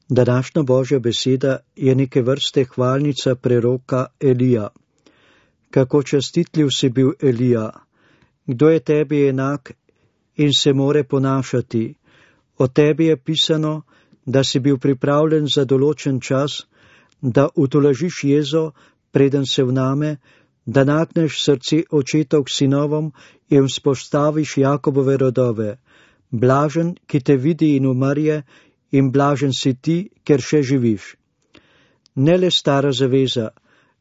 Današnja Božja beseda je neke vrste hvalnica preroka Elija. Kako častitljiv si bil, Elija, kdo je tebi enak in se more ponašati? O tebi je pisano, da si bil pripravljen za določen čas, da utolažiš jezo, preden se vname, da nagneš srce očetov k sinovom in vzpostaviš Jakobove rodove. Blažen, ki te vidi in umrje, in blažen si ti, ker še živiš. Ne le stara zaveza,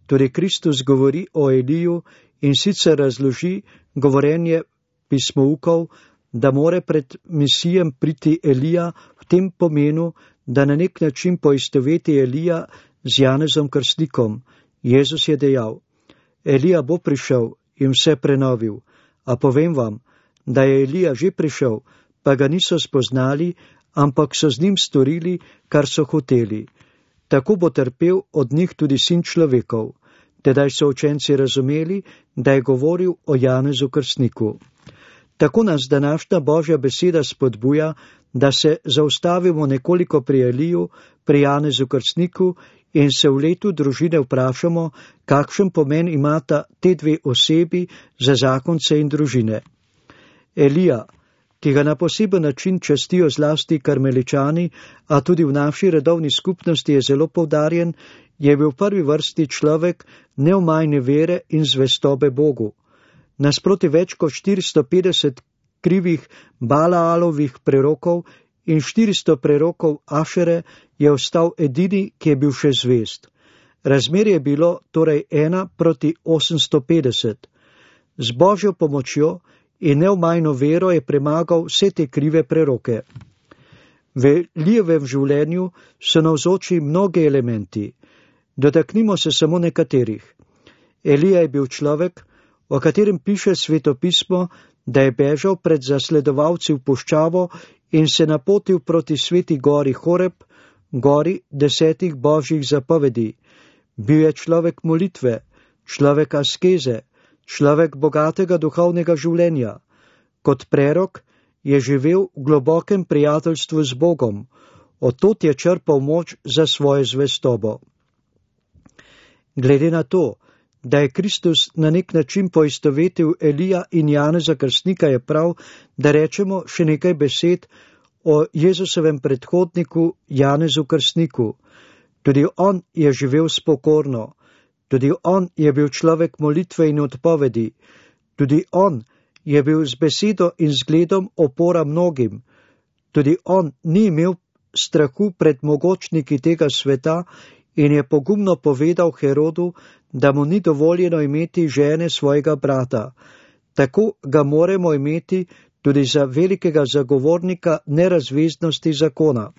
torej Kristus govori o Eliju in sicer razloži govorenje pismoukov, da more pred Mesijem priti Elija v tem pomenu, da na nek način poistoveti Elija z Janezom Krstnikom. Jezus je dejal: Elija bo prišel in vse prenovil, a povem vam, da je Elija že prišel, pa ga niso spoznali, ampak so z njim storili, kar so hoteli. Tako bo trpel od njih tudi Sin človekov. Tedaj so učenci razumeli, da je govoril o Janezu Krstniku. Tako nas današnja Božja beseda spodbuja, da se zaustavimo nekoliko pri Eliju, pri Janezu Krstniku in se v letu družine vprašamo, kakšen pomen imata te dve osebi za zakonce in družine. Elija, ki ga na poseben način častijo zlasti karmeličani, a tudi v naši redovni skupnosti je zelo poudarjen, je bil v prvi vrsti človek neomajne vere in zvestobe Bogu. Nasproti več kot 450 krivih Balaalovih prerokov in 400 prerokov Ašere je ostal edini, ki je bil še zvest. Razmerje je bilo torej 1:850. Z Božjo pomočjo in neomajno vero je premagal vse te krive preroke. V Elijevem življenju so navzoči mnogi elementi. Dotaknimo se samo nekaterih. Elija je bil človek, o katerem piše svetopismo, da je bežal pred zasledovalci v puščavo in se napotil proti sveti gori Horeb, gori 10 božjih zapovedi. Bil je človek molitve, človek askeze, človek bogatega duhovnega življenja. Kot prerok je živel v globokem prijateljstvu z Bogom, od tod je črpal moč za svojo zvestobo. Glede na to, da je Kristus na nek način poistovetil Elija in Janeza Krstnika, je prav, da rečemo še nekaj besed o Jezusovem predhodniku Janezu Krstniku. Tudi on je živel spokorno, tudi on je bil človek molitve in odpovedi, tudi on je bil z besedo in zgledom opora mnogim, tudi on ni imel strahu pred mogočniki tega sveta in je pogumno povedal Herodu, da mu ni dovoljeno imeti žene svojega brata. Tako ga moramo imeti tudi za velikega zagovornika nerazveznosti zakona.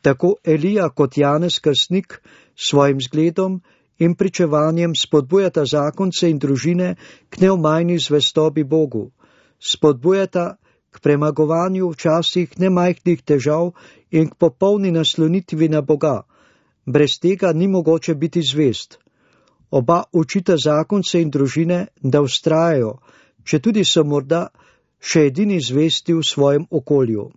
Tako Elija kot Janez Krstnik svojim zgledom in pričevanjem spodbujata zakonce in družine k neomajni zvestobi Bogu. Spodbujata k premagovanju včasih nemajhnih težav in k popolni naslonitvi na Boga. Brez tega ni mogoče biti zvest. Oba učita zakonce in družine, da vztrajajo, če tudi so morda še edini zvesti v svojem okolju.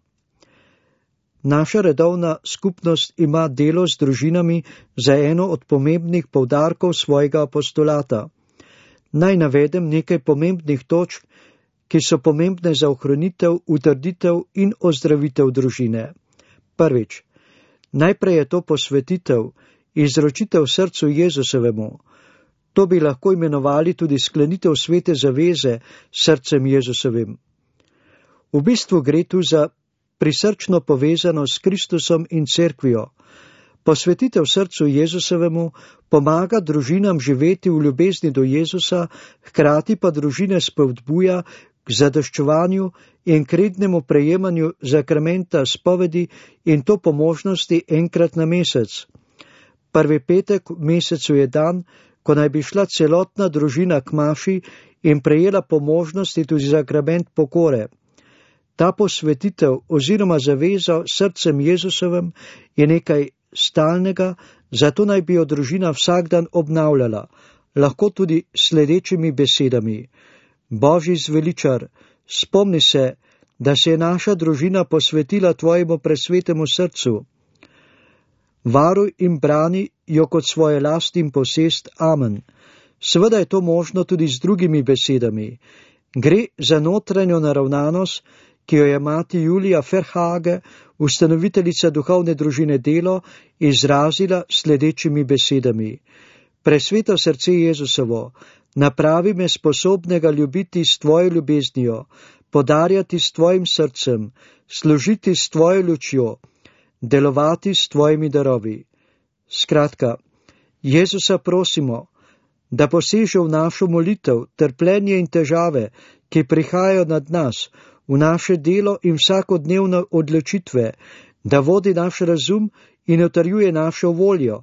Naša redovna skupnost ima delo z družinami za eno od pomembnih poudarkov svojega apostolata. Naj navedem nekaj pomembnih točk, ki so pomembne za ohranitev, utrditev in ozdravitev družine. Prvič, najprej je to posvetitev, izročitev srcu Jezusovemu. To bi lahko imenovali tudi sklenitev svete zaveze s srcem Jezusovim. V bistvu gre tu za prisrčno povezano s Kristusom in cerkvijo. Posvetitev srcu Jezusovemu pomaga družinam živeti v ljubezni do Jezusa, hkrati pa družine spodbuja k zadoščevanju in k rednemu prejemanju zakramenta spovedi in to po možnosti enkrat na mesec. Prvi petek v mesecu je dan, ko naj bi šla celotna družina k maši in prejela po možnosti tudi zakrament pokore. Ta posvetitev oziroma zaveza srcem Jezusovem je nekaj stalnega, zato naj bi jo družina vsak dan obnavljala, lahko tudi sledečimi besedami. Božji zveličar, spomni se, da se je naša družina posvetila tvojemu presvetemu srcu. Varuj in brani jo kot svoje last in posest. Amen. Seveda je to možno tudi z drugimi besedami. Gre za notranjo naravnanost, ki jo je mati Julija Ferhage, ustanoviteljica duhovne družine Delo, izrazila sledečimi besedami. Presveto srce Jezusovo, napravi me sposobnega ljubiti s tvojo ljubeznijo, podarjati s tvojim srcem, služiti s tvojo lučjo, delovati s tvojimi darovi. Skratka, Jezusa prosimo, da poseže v našo molitev, trpljenje in težave, ki prihajajo nad nas, v naše delo in vsakodnevne odločitve, da vodi naš razum in utrjuje našo voljo,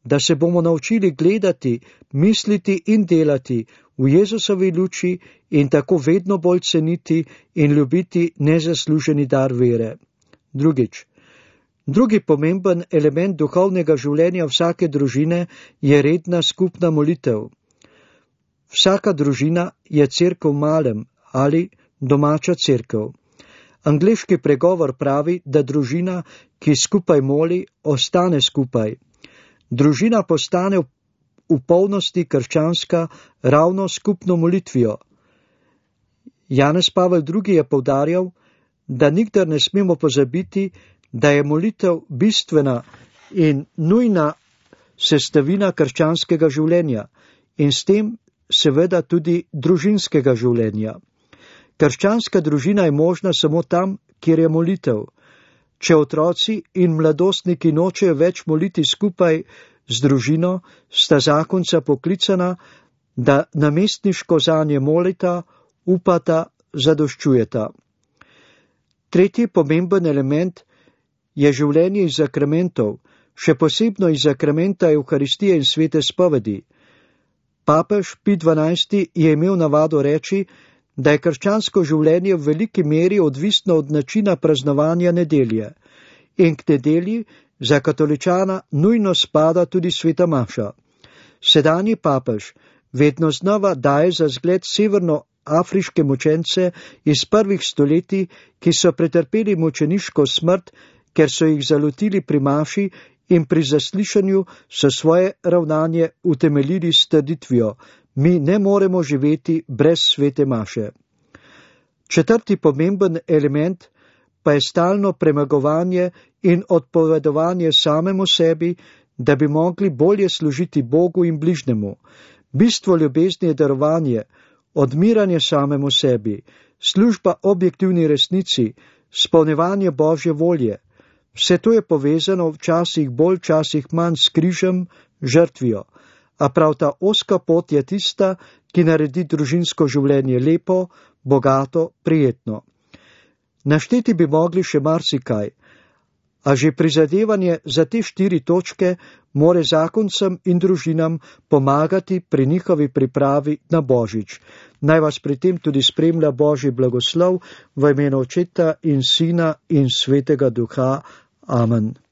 da se bomo naučili gledati, misliti in delati v Jezusovi luči in tako vedno bolj ceniti in ljubiti nezasluženi dar vere. Drugi pomemben element duhovnega življenja vsake družine je redna skupna molitev. Vsaka družina je cerkev v malem ali domača cerkev. Angleški pregovor pravi, da družina, ki skupaj moli, ostane skupaj. Družina postane v polnosti krščanska ravno skupno molitvijo. Janez Pavel II. Je poudarjal, da nikdar ne smemo pozabiti, da je molitev bistvena in nujna sestavina krščanskega življenja in s tem seveda tudi družinskega življenja. Krščanska družina je možna samo tam, kjer je molitev. Če otroci in mladostniki nočejo več moliti skupaj z družino, sta zakonca poklicana, da namestniško zanje molita, upata, zadoščujeta. Tretji pomemben element je življenje iz sakramentov, še posebno iz sakramenta Evharistije in svete spovedi. Papež Pij XII. Je imel navado reči, da je krščansko življenje v veliki meri odvisno od načina praznovanja nedelje in k nedelji za katoličana nujno spada tudi sveta maša. Sedanji papež vedno znova daje za zgled severnoafriške mučence iz prvih stoletij, ki so pretrpeli mučeniško smrt, ker so jih zalotili pri maši in pri zaslišanju so svoje ravnanje utemeljili s trditvijo: mi ne moremo živeti brez svete maše. Četrti pomemben element pa je stalno premagovanje in odpovedovanje samemu sebi, da bi mogli bolje služiti Bogu in bližnemu. Bistvo ljubezni je darovanje, odmiranje samemu sebi, služba objektivni resnici, spolnevanje Božje volje. Vse to je povezano včasih bolj, včasih manj s križem, žrtvijo. A prav ta ozka pot je tista, ki naredi družinsko življenje lepo, bogato, prijetno. Našteti bi mogli še marsikaj, a že prizadevanje za te 4 točke more zakoncem in družinam pomagati pri njihovi pripravi na Božič. Naj vas pri tem tudi spremlja Božji blagoslov v imenu Očeta in Sina in Svetega Duha. Amen.